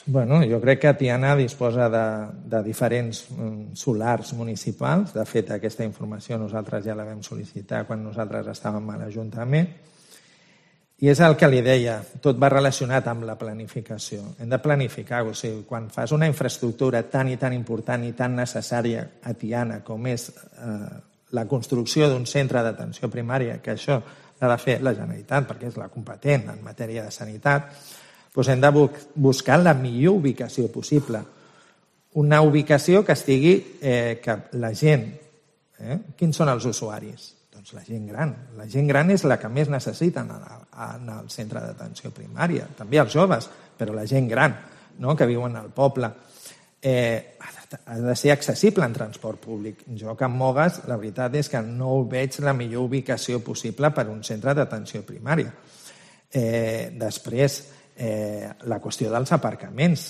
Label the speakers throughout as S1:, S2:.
S1: Bueno, jo crec que Tiana disposa de diferents solars municipals. De fet, aquesta informació nosaltres ja la vam sol·licitar quan nosaltres estàvem a l'Ajuntament. I és el que li deia, tot va relacionat amb la planificació. Hem de planificar, o sigui, quan fas una infraestructura tan i tan important i tan necessària a Tiana com és la construcció d'un centre d'atenció primària, que això l'ha de fer la Generalitat perquè és la competent en matèria de sanitat, doncs hem de buscar la millor ubicació possible. Una ubicació que estigui, que la gent... Quins són els usuaris? Doncs la gent gran. La gent gran és la que més necessita en el centre d'atenció primària. També els joves, però la gent gran, que viuen al poble. Ha de ser accessible en transport públic. Jo, que em mogues, la veritat és que no veig la millor ubicació possible per a un centre d'atenció primària. Després, la qüestió dels aparcaments.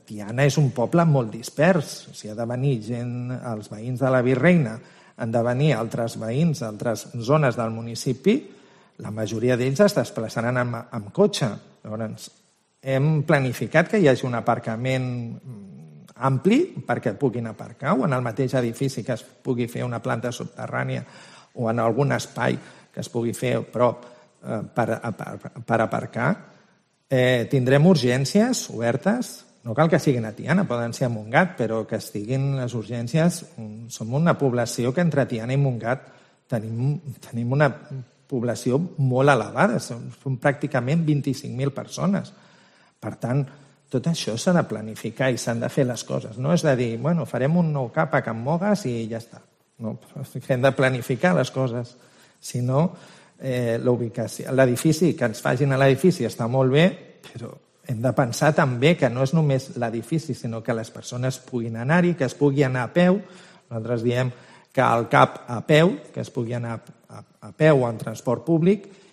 S1: Tiana és un poble molt dispers. Si ha de venir gent, els veïns de la Virreina, han de venir altres veïns d'altres zones del municipi, la majoria d'ells es desplaçaran amb cotxe. Llavors, hem planificat que hi hagi un aparcament ampli perquè puguin aparcar, o en el mateix edifici que es pugui fer una planta subterrània o en algun espai que es pugui fer prop per aparcar. Tindrem urgències obertes, no cal que siguin a Tiana, poden ser a Montgat, però que estiguin les urgències. Som una població que entre Tiana i Montgat tenim una població molt elevada, som pràcticament 25.000 persones. Per tant, tot això s'ha de planificar i s'han de fer les coses. No és de dir, bueno, farem un nou CAP a Can Mogues i ja està. No, hem de planificar les coses. Si no, l'edifici, que ens facin a l'edifici està molt bé, però hem de pensar també que no és només l'edifici, sinó que les persones puguin anar-hi, que es pugui anar a peu. Nosaltres diem que al CAP a peu, que es pugui anar a peu o en transport públic,